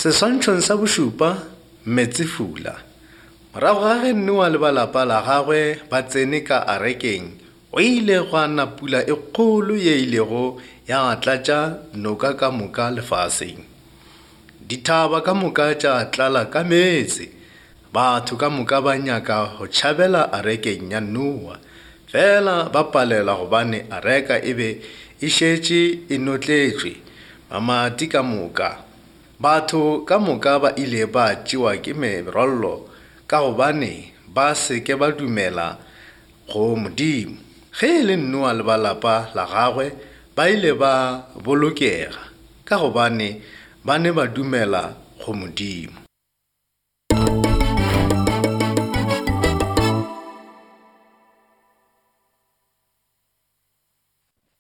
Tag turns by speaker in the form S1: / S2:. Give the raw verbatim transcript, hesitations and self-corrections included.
S1: Seswantšhong sa bošupa, Meetsefula. Morago ga ge Noa le ba lapa la gagwe ba tsene ka arekeng, go ile gwa na pula e kgolo ye ilego ya tlatša noka ka moka lefaseng. Dithaba ka moka tša tlala ka meetse. Batho ka moka ba nyaka go tšhabela arekeng ya Noa, fela ba palelwa gobane areka e be e šetše e notletšwe mamati ka moka. Batho ka moka ba ile ba tšewa ke merwallo ka gobane ba se ke ba dumela go Modimo. Ge e le Noa le ba lapa la gagwe ba ile ba bolokega ka gobane ba ne ba dumela go Modimo.